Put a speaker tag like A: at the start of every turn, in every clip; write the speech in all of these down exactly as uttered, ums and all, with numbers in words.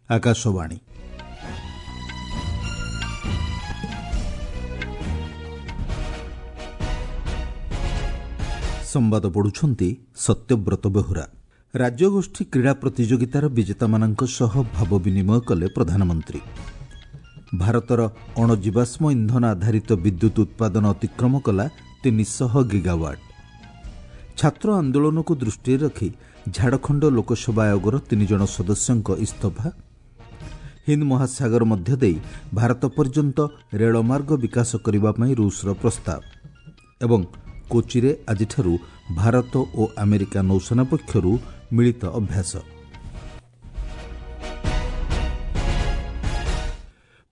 A: ଆକାଶବାଣୀ ସମ୍ବାଦ ପଢୁଛନ୍ତି ସତ୍ୟବ୍ରତ ବେହୁରା ରାଜ୍ୟଗୋଷ୍ଠୀ କ୍ରୀଡ଼ା ପ୍ରତିଯୋଗିତାର ବିଜେତାମାନଙ୍କ ସହ ଭାବ ବିନିମୟ କଲେ ପ୍ରଧାନମନ୍ତ୍ରୀ ଭାରତର ଅଣଜୀବାଶ୍ମ ଇନ୍ଧନ ଆଧାରିତ ବିଦ୍ୟୁତ୍ ଉତ୍ପାଦନ ଅତିକ୍ରମ କଲା ତିନିଶହ ଗିଗାୱାଟ୍ ଛାତ୍ର ଆନ୍ଦୋଳନକୁ ଦୃଷ୍ଟିରେ ରଖି ଝାଡ଼ଖଣ୍ଡ ଲୋକସେବା ଆୟୋଗର ତିନିଜଣ ସଦସ୍ୟଙ୍କ ଇସ୍ତଫା ହିନ୍ଦ ମହାସାଗର ମଧ୍ୟ ଦେଇ ଭାରତ ପର୍ଯ୍ୟନ୍ତ ରେଳମାର୍ଗ ବିକାଶ କରିବା ପାଇଁ ରୁଷର ପ୍ରସ୍ତାବ ଏବଂ କୋଚିରେ ଆଜିଠାରୁ ଭାରତ ଓ ଆମେରିକା ନୌସେନା ପକ୍ଷରୁ ମିଳିତ ଅଭ୍ୟାସ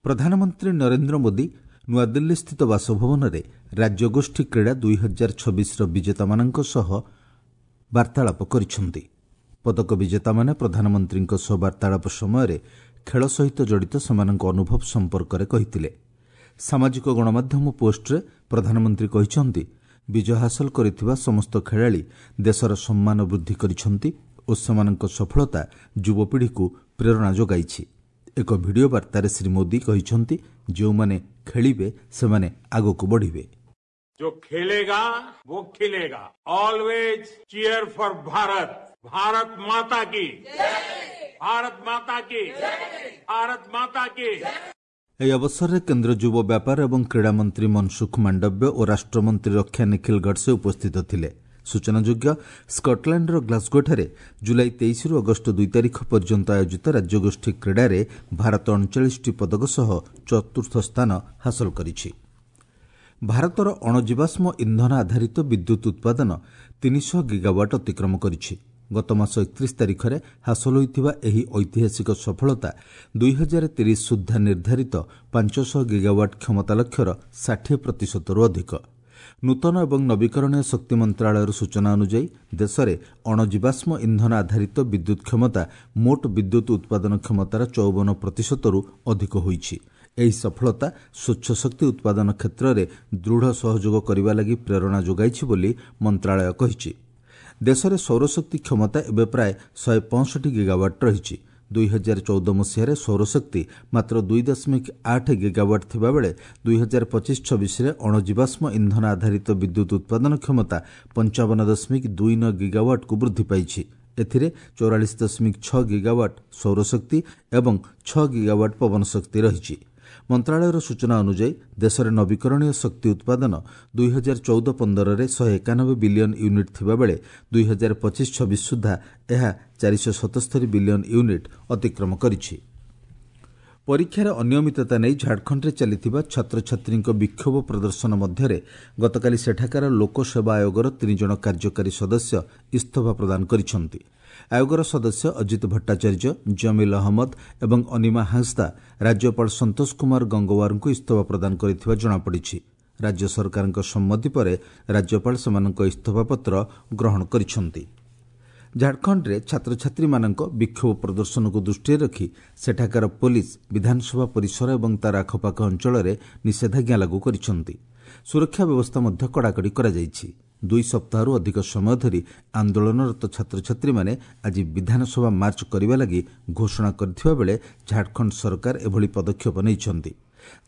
A: ପ୍ରଧାନମନ୍ତ୍ରୀ ନରେନ୍ଦ୍ର ମୋଦି ନୂଆଦିଲ୍ଲୀସ୍ଥିତ ବାସଭବନରେ ରାଜ୍ୟଗୋଷ୍ଠୀ କ୍ରୀଡ଼ା ଦୁଇ ହଜାର ଛବିଶର ବିଜେତାମାନଙ୍କ ସହ ବାର୍ତ୍ତାଳାପ କରିଛନ୍ତି ପଦକ ବିଜେତାମାନେ ପ୍ରଧାନମନ୍ତ୍ରୀଙ୍କ ସହ ବାର୍ତ୍ତାଳାପ ସମୟରେ ଖେଳ ସହିତ ଜଡ଼ିତ ସେମାନଙ୍କ ଅନୁଭବ ସମ୍ପର୍କରେ କହିଥିଲେ ସାମାଜିକ ଗଣମାଧ୍ୟମ ପୋଷ୍ଟରେ ପ୍ରଧାନମନ୍ତ୍ରୀ କହିଛନ୍ତି ବିଜୟ ହାସଲ କରିଥିବା ସମସ୍ତ ଖେଳାଳି ଦେଶର ସମ୍ମାନ ବୃଦ୍ଧି କରିଛନ୍ତି ଓ ସେମାନଙ୍କ ସଫଳତା ଯୁବପିଢ଼ିକୁ ପ୍ରେରଣା ଯୋଗାଇଛି ଏକ ଭିଡ଼ିଓ ବାର୍ତ୍ତାରେ ଶ୍ରୀ ମୋଦି କହିଛନ୍ତି ଯେଉଁମାନେ ଖେଳିବେ ସେମାନେ ଆଗକୁ ବଢ଼ିବେ
B: जो खेलेगा वो खिलेगा Always cheer for Bharat Bharat माता की भारत माता की भारत माता की
A: ଏହି ଅବସରରେ କେନ୍ଦ୍ର ଯୁବ ବ୍ୟାପାର ଏବଂ କ୍ରୀଡ଼ା ମନ୍ତ୍ରୀ ମନସୁଖ ମାଣ୍ଡବ୍ୟ ଓ ରାଷ୍ଟ୍ରମନ୍ତ୍ରୀ ରକ୍ଷା ନିଖିଲ ଗଡ଼ସେ ଉପସ୍ଥିତ ଥିଲେ ସୂଚନାଯୋଗ୍ୟ ସ୍କଟଲ୍ୟାଣ୍ଡର ଗ୍ଲାସଗୋଠାରେ ଜୁଲାଇ ତେଇଶରୁ ଅଗଷ୍ଟ ଦୁଇ ତାରିଖ ପର୍ଯ୍ୟନ୍ତ ଆୟୋଜିତ ରାଜ୍ୟଗୋଷ୍ଠୀ କ୍ରୀଡ଼ାରେ ଭାରତ ଅଣଚାଳିଶଟି ପଦକ ସହ ଚତୁର୍ଥ ସ୍ଥାନ ହାସଲ କରିଛି ଭାରତର ଅଣଜୀବାଶ୍ମ ଇନ୍ଧନ ଆଧାରିତ ବିଦ୍ୟୁତ୍ ଉତ୍ପାଦନ ତିନିଶହ ଗିଗାୱାଟ୍ ଅତିକ୍ରମ କରିଛି ଗତ ମାସ ଏକତିରିଶ ତାରିଖରେ ହାସଲ ହୋଇଥିବା ଏହି ଐତିହାସିକ ସଫଳତା ଦୁଇ ହଜାର ତିରିଶ ସୁଦ୍ଧା ନିର୍ଦ୍ଧାରିତ ପାଞ୍ଚଶହ ଗିଗାୱାଟ୍ କ୍ଷମତା ଲକ୍ଷ୍ୟର ଷାଠିଏ ପ୍ରତିଶତରୁ ଅଧିକ ନୂତନ ଏବଂ ନବୀକରଣୀୟ ଶକ୍ତି ମନ୍ତ୍ରଣାଳୟର ସୂଚନା ଅନୁଯାୟୀ ଦେଶରେ ଅଣଜୀବାଶ୍ମ ଇନ୍ଧନ ଆଧାରିତ ବିଦ୍ୟୁତ୍ କ୍ଷମତା ମୋଟ ବିଦ୍ୟୁତ୍ ଉତ୍ପାଦନ କ୍ଷମତାର ଚଉବନ ପ୍ରତିଶତରୁ ଅଧିକ ହୋଇଛି ଏହି ସଫଳତା ସ୍ୱଚ୍ଛ ଶକ୍ତି ଉତ୍ପାଦନ କ୍ଷେତ୍ରରେ ଦୃଢ଼ ସହଯୋଗ କରିବା ଲାଗି ପ୍ରେରଣା ଯୋଗାଇଛି ବୋଲି ମନ୍ତ୍ରଣାଳୟ କହିଛି ଦେଶରେ ସୌରଶକ୍ତି କ୍ଷମତା ଏବେ ପ୍ରାୟ ଶହେ ପଞ୍ଚଷଠି ଗିଗାୱାଟ୍ ରହିଛି ଦୁଇ ହଜାର ଚଉଦ ମସିହାରେ ସୌରଶକ୍ତି ମାତ୍ର ଦୁଇ ଦଶମିକ ଆଠ ଗିଗାୱାଟ୍ ଥିବାବେଳେ ଦୁଇ ହଜାର ପଚିଶ ଛବିଶରେ ଅଣଜୀବାଶ୍ମ ଇନ୍ଧନ ଆଧାରିତ ବିଦ୍ୟୁତ୍ ଉତ୍ପାଦନ କ୍ଷମତା ପଞ୍ଚାବନ ଦଶମିକ ଦୁଇ ନଅ ଗିଗାୱାଟ୍କୁ ବୃଦ୍ଧି ପାଇଛି ଏଥିରେ ଚଉରାଳିଶ ଦଶମିକ ଛଅ ଗିଗାୱାଟ୍ ସୌରଶକ୍ତି ଏବଂ ଛଅ ଗିଗାୱାଟ୍ ପବନ ଶକ୍ତି ରହିଛି ମନ୍ତ୍ରଣାଳୟର ସୂଚନା ଅନୁଯାୟୀ ଦେଶରେ ନବୀକରଣୀୟ ଶକ୍ତି ଉତ୍ପାଦନ ଦୁଇ ହଜାର ଚଉଦ ପନ୍ଦରରେ ଶହେ ଏକାନବେ ବିଲିୟନ ୟୁନିଟ୍ ଥିବାବେଳେ ଦୁଇ ହଜାର ପଚିଶ ଛବିଶ ସୁଦ୍ଧା ଏହା ଚାରିଶହ ସତସ୍ତରୀ ବିଲିୟନ ୟୁନିଟ୍ ଅତିକ୍ରମ କରିଛି ପରୀକ୍ଷାରେ ଅନିୟମିତତା ନେଇ ଝାଡ଼ଖଣ୍ଡରେ ଚାଲିଥିବା ଛାତ୍ରଛାତ୍ରୀଙ୍କ ବିକ୍ଷୋଭ ପ୍ରଦର୍ଶନ ମଧ୍ୟରେ ଗତକାଲି ସେଠାକାର ଲୋକସେବା ଆୟୋଗର ତିନିଜଣ କାର୍ଯ୍ୟକାରୀ ସଦସ୍ୟ ଇସ୍ତଫା ପ୍ରଦାନ କରିଛନ୍ତି ଆୟୋଗର ସଦସ୍ୟ ଅଜିତ ଭଟ୍ଟାଚାର୍ଯ୍ୟ ଜମିଲ ଅହମ୍ମଦ ଏବଂ ଅନିମା ହାଁସଦା ରାଜ୍ୟପାଳ ସନ୍ତୋଷ କୁମାର ଗଙ୍ଗୱାରଙ୍କୁ ଇସ୍ତଫା ପ୍ରଦାନ କରିଥିବା ଜଣାପଡ଼ିଛି ରାଜ୍ୟ ସରକାରଙ୍କ ସମ୍ମତି ପରେ ରାଜ୍ୟପାଳ ସେମାନଙ୍କ ଇସ୍ତଫାପତ୍ର ଗ୍ରହଣ କରିଛନ୍ତି ଝାଡ଼ଖଣ୍ଡରେ ଛାତ୍ରଛାତ୍ରୀମାନଙ୍କ ବିକ୍ଷୋଭ ପ୍ରଦର୍ଶନକୁ ଦୃଷ୍ଟିରେ ରଖି ସେଠାକାର ପୋଲିସ ବିଧାନସଭା ପରିସର ଏବଂ ତାର ଆଖପାଖ ଅଞ୍ଚଳରେ ନିଷେଧାଜ୍ଞା ଲାଗୁ କରିଛନ୍ତି ସୁରକ୍ଷା ବ୍ୟବସ୍ଥା ମଧ୍ୟ କଡ଼ାକଡ଼ି କରାଯାଇଛି ଦୁଇ ସପ୍ତାହରୁ ଅଧିକ ସମୟ ଧରି ଆନ୍ଦୋଳନରତ ଛାତ୍ରଛାତ୍ରୀମାନେ ଆଜି ବିଧାନସଭା ମାର୍ଚ୍ଚ କରିବା ଲାଗି ଘୋଷଣା କରିଥିବା ବେଳେ ଝାଡ଼ଖଣ୍ଡ ସରକାର ଏଭଳି ପଦକ୍ଷେପ ନେଇଛନ୍ତି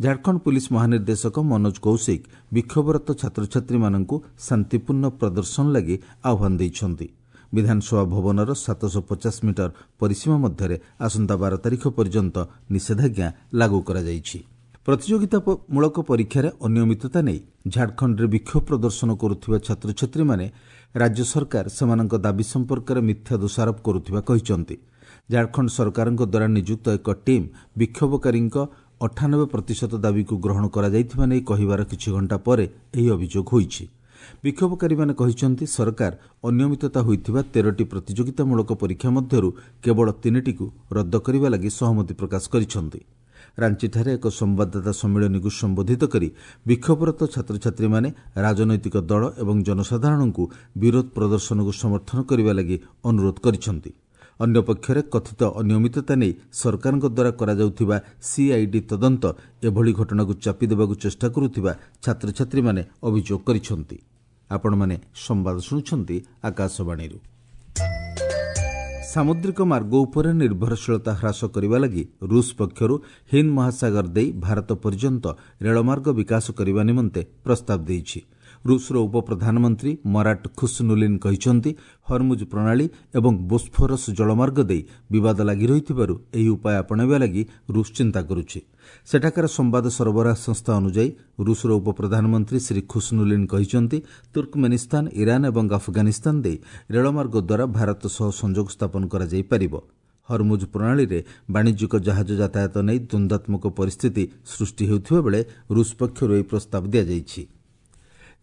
A: ଝାଡ଼ଖଣ୍ଡ ପୁଲିସ୍ ମହାନିର୍ଦ୍ଦେଶକ ମନୋଜ କୌଶିକ ବିକ୍ଷୋଭରତ ଛାତ୍ରଛାତ୍ରୀମାନଙ୍କୁ ଶାନ୍ତିପୂର୍ଣ୍ଣ ପ୍ରଦର୍ଶନ ଲାଗି ଆହ୍ୱାନ ଦେଇଛନ୍ତି ବିଧାନସଭା ଭବନର ସାତଶହ ପଚାଶ ମିଟର ପରିସୀମା ମଧ୍ୟରେ ଆସନ୍ତା ବାର ତାରିଖ ପର୍ଯ୍ୟନ୍ତ ନିଷେଧାଜ୍ଞା ଲାଗୁ କରାଯାଇଛି ପ୍ରତିଯୋଗିତାମୂଳକ ପରୀକ୍ଷାରେ ଅନିୟମିତତା ନେଇ ଝାଡ଼ଖଣ୍ଡରେ ବିକ୍ଷୋଭ ପ୍ରଦର୍ଶନ କରୁଥିବା ଛାତ୍ରଛାତ୍ରୀମାନେ ରାଜ୍ୟ ସରକାର ସେମାନଙ୍କ ଦାବି ସମ୍ପର୍କରେ ମିଥ୍ୟା ଦୋଷାରୋପ କରୁଥିବା କହିଛନ୍ତି ଝାଡ଼ଖଣ୍ଡ ସରକାରଙ୍କ ଦ୍ୱାରା ନିଯୁକ୍ତ ଏକ ଟିମ୍ ବିକ୍ଷୋଭକାରୀଙ୍କ ଅଠାନବେ ପ୍ରତିଶତ ଦାବିକୁ ଗ୍ରହଣ କରାଯାଇଥିବା ନେଇ କହିବାର କିଛି ଘଣ୍ଟା ପରେ ଏହି ଅଭିଯୋଗ ହୋଇଛି ବିକ୍ଷୋଭକାରୀମାନେ କହିଛନ୍ତି ସରକାର ଅନିୟମିତତା ହୋଇଥିବା ତେରଟି ପ୍ରତିଯୋଗିତାମୂଳକ ପରୀକ୍ଷା ମଧ୍ୟରୁ କେବଳ ତିନିଟିକୁ ରଦ୍ଦ କରିବା ଲାଗି ସହମତି ପ୍ରକାଶ କରିଛନ୍ତି ରାଞ୍ଚିଠାରେ ଏକ ସମ୍ବାଦଦାତା ସମ୍ମିଳନୀକୁ ସମ୍ବୋଧିତ କରି ବିକ୍ଷୋଭରତ ଛାତ୍ରଛାତ୍ରୀମାନେ ରାଜନୈତିକ ଦଳ ଏବଂ ଜନସାଧାରଣଙ୍କୁ ବିରୋଧ ପ୍ରଦର୍ଶନକୁ ସମର୍ଥନ କରିବା ଲାଗି ଅନୁରୋଧ କରିଛନ୍ତି ଅନ୍ୟପକ୍ଷରେ କଥିତ ଅନିୟମିତତା ନେଇ ସରକାରଙ୍କ ଦ୍ୱାରା କରାଯାଉଥିବା ସିଆଇଡି ତଦନ୍ତ ଏଭଳି ଘଟଣାକୁ ଚାପି ଦେବାକୁ ଚେଷ୍ଟା କରୁଥିବା ଛାତ୍ରଛାତ୍ରୀମାନେ ଅଭିଯୋଗ କରିଛନ୍ତି ଆପଣମାନେ ସମ୍ବାଦ ଶୁଣୁଛନ୍ତି ଆକାଶବାଣୀରୁ ସାମୁଦ୍ରିକ ମାର୍ଗ ଉପରେ ନିର୍ଭରଶୀଳତା ହ୍ରାସ କରିବା ଲାଗି ରୁଷ ପକ୍ଷରୁ ହିନ୍ଦ ମହାସାଗର ଦେଇ ଭାରତ ପର୍ଯ୍ୟନ୍ତ ରେଳମାର୍ଗ ବିକାଶ କରିବା ନିମନ୍ତେ ପ୍ରସ୍ତାବ ଦେଇଛି। ରୁଷର ଉପପ୍ରଧାନମନ୍ତ୍ରୀ ମରାଟ ଖୁସନୁଲିନ୍ କହିଛନ୍ତି, ହରମୁଜ ପ୍ରଣାଳୀ ଏବଂ ବୋସ୍ଫୋରସ୍ ଜଳମାର୍ଗ ଦେଇ ବିବାଦ ଲାଗି ରହିଥିବାରୁ ଏହି ଉପାୟ ଆପଣାଇବା ଲାଗି ରୁଷ ଚିନ୍ତା କରୁଛି। ସେଠାକାର ସମ୍ବାଦ ସରବରାହ ସଂସ୍ଥା ଅନୁଯାୟୀ ରୁଷର ଉପପ୍ରଧାନମନ୍ତ୍ରୀ ଶ୍ରୀ ଖୁସନୁଲିନ୍ କହିଛନ୍ତି, ତୁର୍କମେନିସ୍ତାନ, ଇରାନ ଏବଂ ଆଫଗାନିସ୍ତାନ ଦେଇ ରେଳମାର୍ଗ ଦ୍ୱାରା ଭାରତ ସହ ସଂଯୋଗ ସ୍ଥାପନ କରାଯାଇପାରିବ। ହରମୁଜ ପ୍ରଣାଳୀରେ ବାଣିଜ୍ୟିକ ଜାହାଜ ଯାତାୟାତ ନେଇ ଦ୍ୱନ୍ଦ୍ୱାତ୍ମକ ପରିସ୍ଥିତି ସୃଷ୍ଟି ହେଉଥିବା ବେଳେ ରୁଷ ପକ୍ଷରୁ ଏହି ପ୍ରସ୍ତାବ ଦିଆଯାଇଛି।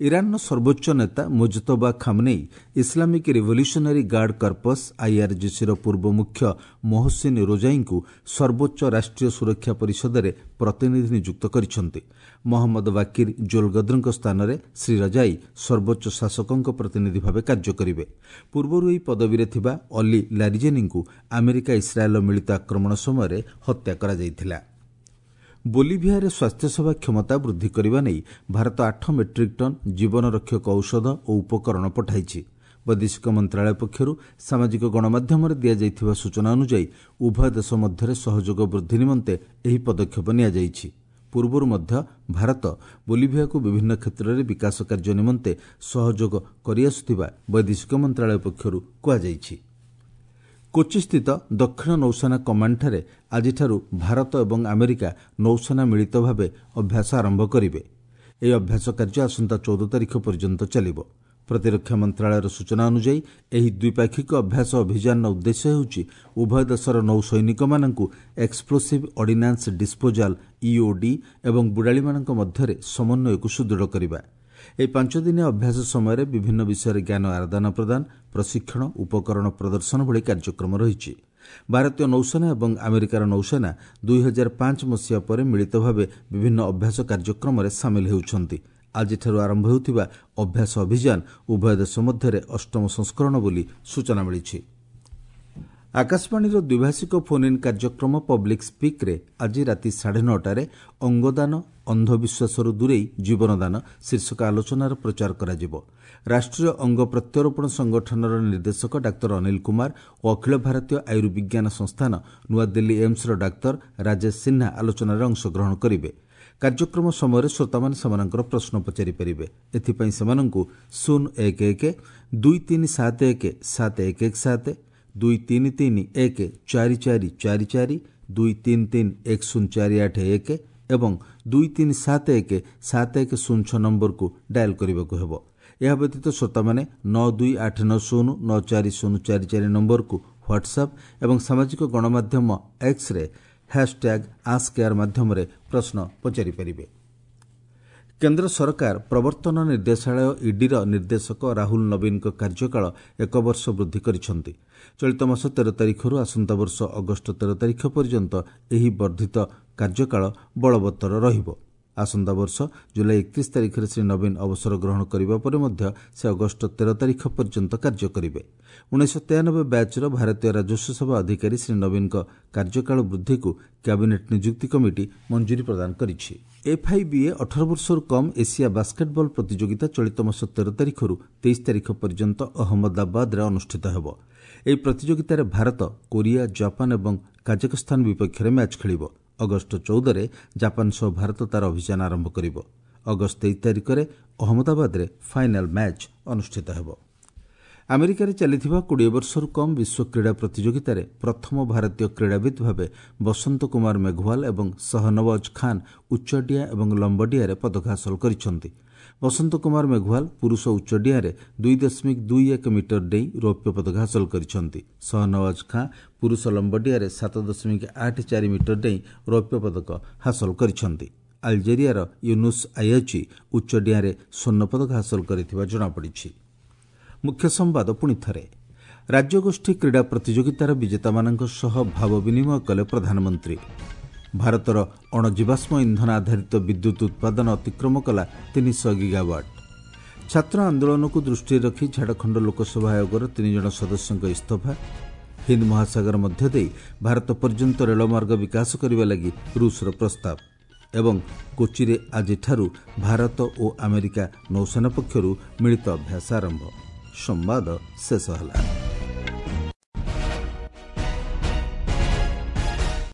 A: ଇରାନର ସର୍ବୋଚ୍ଚ ନେତା Mojtaba Khamenei Islamic Revolutionary Guard Corps ଆଇଆର୍ଜିସିର ପୂର୍ବ ମୁଖ୍ୟ ମୋହସିନ୍ ରୋଜାଇଙ୍କୁ ସର୍ବୋଚ୍ଚ ରାଷ୍ଟ୍ରୀୟ ସୁରକ୍ଷା ପରିଷଦରେ ପ୍ରତିନିଧି ନିଯୁକ୍ତ କରିଛନ୍ତି। ମହମ୍ମଦ ବାକିର ଜୋଲଗଦ୍ରଙ୍କ ସ୍ଥାନରେ ଶ୍ରୀ ରଜାଇ ସର୍ବୋଚ୍ଚ ଶାସକଙ୍କ ପ୍ରତିନିଧି ଭାବେ କାର୍ଯ୍ୟ କରିବେ। ପୂର୍ବରୁ ଏହି ପଦବୀରେ ଥିବା ଅଲି ଲାରିଜେନିଙ୍କୁ ଆମେରିକା ଇସ୍ରାଏଲ୍ର ମିଳିତ ଆକ୍ରମଣ ସମୟରେ ହତ୍ୟା କରାଯାଇଥିଲା। ବୋଲିଭିଆରେ ସ୍ୱାସ୍ଥ୍ୟସେବା କ୍ଷମତା ବୃଦ୍ଧି କରିବା ନେଇ ଭାରତ ଆଠ ମେଟ୍ରିକ୍ ଟନ୍ ଜୀବନରକ୍ଷକ ଔଷଧ ଓ ଉପକରଣ ପଠାଇଛି। ବୈଦେଶିକ ମନ୍ତ୍ରଣାଳୟ ପକ୍ଷରୁ ସାମାଜିକ ଗଣମାଧ୍ୟମରେ ଦିଆଯାଇଥିବା ସୂଚନା ଅନୁଯାୟୀ ଉଭୟ ଦେଶ ମଧ୍ୟରେ ସହଯୋଗ ବୃଦ୍ଧି ନିମନ୍ତେ ଏହି ପଦକ୍ଷେପ ନିଆଯାଇଛି। ପୂର୍ବରୁ ମଧ୍ୟ ଭାରତ ବୋଲିଭିଆକୁ ବିଭିନ୍ନ କ୍ଷେତ୍ରରେ ବିକାଶ କାର୍ଯ୍ୟ ନିମନ୍ତେ ସହଯୋଗ କରିଆସୁଥିବା ବୈଦେଶିକ ମନ୍ତ୍ରଣାଳୟ ପକ୍ଷରୁ କୁହାଯାଇଛି। କୋଚିସ୍ଥିତ ଦକ୍ଷିଣ ନୌସେନା କମାଣ୍ଡଠାରେ ଆଜିଠାରୁ ଭାରତ ଏବଂ ଆମେରିକା ନୌସେନା ମିଳିତ ଭାବେ ଅଭ୍ୟାସ ଆରମ୍ଭ କରିବେ। ଏହି ଅଭ୍ୟାସ କାର୍ଯ୍ୟ ଆସନ୍ତା ଚଉଦ ତାରିଖ ପର୍ଯ୍ୟନ୍ତ ଚାଲିବ। ପ୍ରତିରକ୍ଷା ମନ୍ତ୍ରଣାଳୟର ସୂଚନା ଅନୁଯାୟୀ ଏହି ଦ୍ୱିପାକ୍ଷିକ ଅଭ୍ୟାସ ଅଭିଯାନର ଉଦ୍ଦେଶ୍ୟ ହେଉଛି ଉଭୟ ଦେଶର ନୌସୈନିକମାନଙ୍କୁ ଏକ୍ସପ୍ଲୋସିଭ୍ ଅର୍ଡିନାନ୍ସ ଡିସ୍ପୋଜାଲ୍ ଇଓଡି ଏବଂ ବୁଡ଼ାଳିମାନଙ୍କ ମଧ୍ୟରେ ସମନ୍ୱୟକୁ ସୁଦୃଢ଼ କରିବା। ଏହି ପାଞ୍ଚଦିନିଆ ଅଭ୍ୟାସ ସମୟରେ ବିଭିନ୍ନ ବିଷୟରେ ଜ୍ଞାନ ଆଦାନ ପ୍ରଦାନ, ପ୍ରଶିକ୍ଷଣ, ଉପକରଣ ପ୍ରଦର୍ଶନ ଭଳି କାର୍ଯ୍ୟକ୍ରମ ରହିଛି। ଭାରତୀୟ ନୌସେନା ଏବଂ ଆମେରିକାର ନୌସେନା ଦୁଇ ହଜାର ପାଞ୍ଚ ମସିହା ପରେ ମିଳିତ ଭାବେ ବିଭିନ୍ନ ଅଭ୍ୟାସ କାର୍ଯ୍ୟକ୍ରମରେ ସାମିଲ ହେଉଛନ୍ତି। ଆଜିଠାରୁ ଆରମ୍ଭ ହେଉଥିବା ଅଭ୍ୟାସ ଅଭିଯାନ ଉଭୟ ଦେଶ ମଧ୍ୟରେ ଅଷ୍ଟମ ସଂସ୍କରଣ ବୋଲି ସୂଚନା ମିଳିଛି। ଆକାଶବାଣୀର ଦ୍ୱିଭାଷିକ ଫୋନ୍ ଇନ୍ କାର୍ଯ୍ୟକ୍ରମ ପବ୍ଲିକ୍ ସ୍ପିକ୍ରେ ଆଜି ରାତି ସାଢ଼େ ନଅଟାରେ ଅଙ୍ଗଦାନ ଅନ୍ଧବିଶ୍ୱାସରୁ ଦୂରେଇ ଜୀବନଦାନ ଶୀର୍ଷକ ଆଲୋଚନାର ପ୍ରଚାର କରାଯିବ। ରାଷ୍ଟ୍ରୀୟ ଅଙ୍ଗ ପ୍ରତ୍ୟାରୋପଣ ସଂଗଠନର ନିର୍ଦ୍ଦେଶକ ଡାକ୍ତର ଅନିଲ କୁମାର ଓ ଅଖିଳ ଭାରତୀୟ ଆୟୁର୍ବିଜ୍ଞାନ ସଂସ୍ଥାନ ନୂଆଦିଲ୍ଲୀ ଏମ୍ସର ଡାକ୍ତର ରାଜେଶ ସିହ୍ନା ଆଲୋଚନାରେ ଅଂଶଗ୍ରହଣ କରିବେ। କାର୍ଯ୍ୟକ୍ରମ ସମୟରେ ଶ୍ରୋତାମାନେ ସେମାନଙ୍କର ପ୍ରଶ୍ନ ପଚାରିପାରିବେ। ଏଥିପାଇଁ ସେମାନଙ୍କୁ ଶୂନ ଏକ ଏକ ଦୁଇ ତିନି ସାତ ଏକ ସାତ ଏକ ଏକ ସାତ, ଦୁଇ ତିନି ତିନି ଏକ ଚାରି ଚାରି ଚାରି ଚାରି, ଦୁଇ ତିନି ତିନି ଏକ ଶୂନ ଚାରି ଆଠ ଏକ ଏବଂ ଦୁଇ ତିନି ସାତ ଏକ ସାତ ଏକ ଶୂନ ଛଅ ନମ୍ବରକୁ ଡାଏଲ୍ କରିବାକୁ ହେବ। ଏହା ବ୍ୟତୀତ ଶ୍ରୋତାମାନେ ନଅ ଦୁଇ ଆଠ ନଅ ଶୂନ ନଅ ଚାରି ଶୂନ ଚାରି ଚାରି ନମ୍ବରକୁ ହ୍ୱାଟ୍ସଆପ୍ ଏବଂ ସାମାଜିକ ଗଣମାଧ୍ୟମ ଏକ୍ସରେ ହ୍ୟାସ୍ଟ୍ୟାଗ୍ ଆସ୍କ ଏୟାର ମାଧ୍ୟମରେ ପ୍ରଶ୍ନ ପଚାରିପାରିବେ। କେନ୍ଦ୍ର ସରକାର ପ୍ରବର୍ତ୍ତନ ନିର୍ଦ୍ଦେଶାଳୟ ଇଡିର ନିର୍ଦ୍ଦେଶକ ରାହୁଲ ନବୀନଙ୍କ କାର୍ଯ୍ୟକାଳ ଏକ ବର୍ଷ ବୃଦ୍ଧି କରିଛନ୍ତି। ଚଳିତ ମାସ ତେର ତାରିଖରୁ ଆସନ୍ତା ବର୍ଷ ଅଗଷ୍ଟ ତେର ତାରିଖ ପର୍ଯ୍ୟନ୍ତ ଏହି ବର୍ଦ୍ଧିତ କାର୍ଯ୍ୟକାଳ ବଳବତ୍ତର ରହିବ। ଆସନ୍ତା ବର୍ଷ ଜୁଲାଇ ଏକତିରିଶ ତାରିଖରେ ଶ୍ରୀ ନବୀନ ଅବସର ଗ୍ରହଣ କରିବା ପରେ ମଧ୍ୟ ସେ ଅଗଷ୍ଟ ତେର ତାରିଖ ପର୍ଯ୍ୟନ୍ତ କାର୍ଯ୍ୟ କରିବେ। ଉଣେଇଶହ ତେୟାନବେ ବ୍ୟାଚ୍ର ଭାରତୀୟ ରାଜସ୍ୱ ସେବା ଅଧିକାରୀ ଶ୍ରୀ ନବୀନଙ୍କ କାର୍ଯ୍ୟକାଳ ବୃଦ୍ଧିକୁ କ୍ୟାବିନେଟ୍ ନିଯୁକ୍ତି କମିଟି ମଞ୍ଜୁରୀ ପ୍ରଦାନ କରିଛି। ଏଫ୍ଆଇବିଏ ଅଠର ବର୍ଷରୁ କମ୍ ଏସିଆ ବାସ୍କେଟ୍ବଲ୍ ପ୍ରତିଯୋଗିତା ଚଳିତ ମାସ ତେର ତାରିଖରୁ ତେଇଶ ତାରିଖ ପର୍ଯ୍ୟନ୍ତ ଅହମ୍ମଦାବାଦରେ ଅନୁଷ୍ଠିତ ହେବ। ଏହି ପ୍ରତିଯୋଗିତାରେ ଭାରତ କୋରିଆ, ଜାପାନ ଏବଂ କାଜାକସ୍ତାନ ବିପକ୍ଷରେ ମ୍ୟାଚ୍ ଖେଳିବ। ଅଗଷ୍ଟ ଚଉଦରେ ଜାପାନ ସହ ଭାରତ ତାର ଅଭିଯାନ ଆରମ୍ଭ କରିବ। ଅଗଷ୍ଟ ତେଇଶ ତାରିଖରେ ଅହମ୍ମଦାବାଦରେ ଫାଇନାଲ୍ ମ୍ୟାଚ୍ ଅନୁଷ୍ଠିତ ହେବ। ଆମେରିକାରେ ଚାଲିଥିବା କୋଡ଼ିଏ ବର୍ଷରୁ କମ୍ ବିଶ୍ୱ କ୍ରୀଡ଼ା ପ୍ରତିଯୋଗିତାରେ ପ୍ରଥମ ଭାରତୀୟ କ୍ରୀଡ଼ାବିତ୍ ଭାବେ ବସନ୍ତ କୁମାର ମେଘୱାଲ ଏବଂ ସହନୱାଜ ଖାନ୍ ଉଚ୍ଚଡିଆଁ ଏବଂ ଲମ୍ବଡିଆଁରେ ପଦକ ହାସଲ କରିଛନ୍ତି। ବସନ୍ତ କୁମାର ମେଘୱାଲ ପୁରୁଷ ଉଚ୍ଚଡିଆଁରେ ଦୁଇ ଦଶମିକ ଦୁଇ ଏକ ମିଟର ଡେଇଁ ରୌପ୍ୟ ପଦକ ହାସଲ କରିଛନ୍ତି। ସହନୱାଜ ଖାଁ ପୁରୁଷ ଲମ୍ବଡିଆଁରେ ସାତ ଦଶମିକ ଆଠ ଚାରି ମିଟର ଡେଇଁ ରୌପ୍ୟ ପଦକ ହାସଲ କରିଛନ୍ତି। ଆଲଜେରିଆର ୟୁନୁସ୍ ଆୟାଚି ଉଚ୍ଚଡିଆଁରେ ସ୍ୱର୍ଣ୍ଣ ପଦକ ହାସଲ କରିଥିବା ଜଣାପଡ଼ିଛି। ମୁଖ୍ୟ ସମ୍ବାଦ ପୁଣି ଥରେ। ରାଜ୍ୟଗୋଷ୍ଠୀ କ୍ରୀଡ଼ା ପ୍ରତିଯୋଗିତାର ବିଜେତାମାନଙ୍କ ସହ ଭାବ ବିନିମୟ କଲେ ପ୍ରଧାନମନ୍ତ୍ରୀ। ଭାରତର ଅଣଜୀବାଶ୍ମ ଇନ୍ଧନ ଆଧାରିତ ବିଦ୍ୟୁତ୍ ଉତ୍ପାଦନ ଅତିକ୍ରମ କଲା ତିନିଶହ ଗିଗାୱାଟ୍। ଛାତ୍ର ଆନ୍ଦୋଳନକୁ ଦୃଷ୍ଟିରେ ରଖି ଝାଡ଼ଖଣ୍ଡ ଲୋକସଭା ଆୟୋଗର ତିନିଜଣ ସଦସ୍ୟଙ୍କ ଇସ୍ତଫା। ହିନ୍ଦ ମହାସାଗର ମଧ୍ୟ ଦେଇ ଭାରତ ପର୍ଯ୍ୟନ୍ତ ରେଳମାର୍ଗ ବିକାଶ କରିବା ଲାଗି ରୁଷର ପ୍ରସ୍ତାବ। ଏବଂ କୋଚିରେ ଆଜିଠାରୁ ଭାରତ ଓ ଆମେରିକା ନୌସେନା ପକ୍ଷରୁ ମିଳିତ ଅଭ୍ୟାସ ଆରମ୍ଭ। ସମ୍ବାଦ ଶେଷ ହେଲା।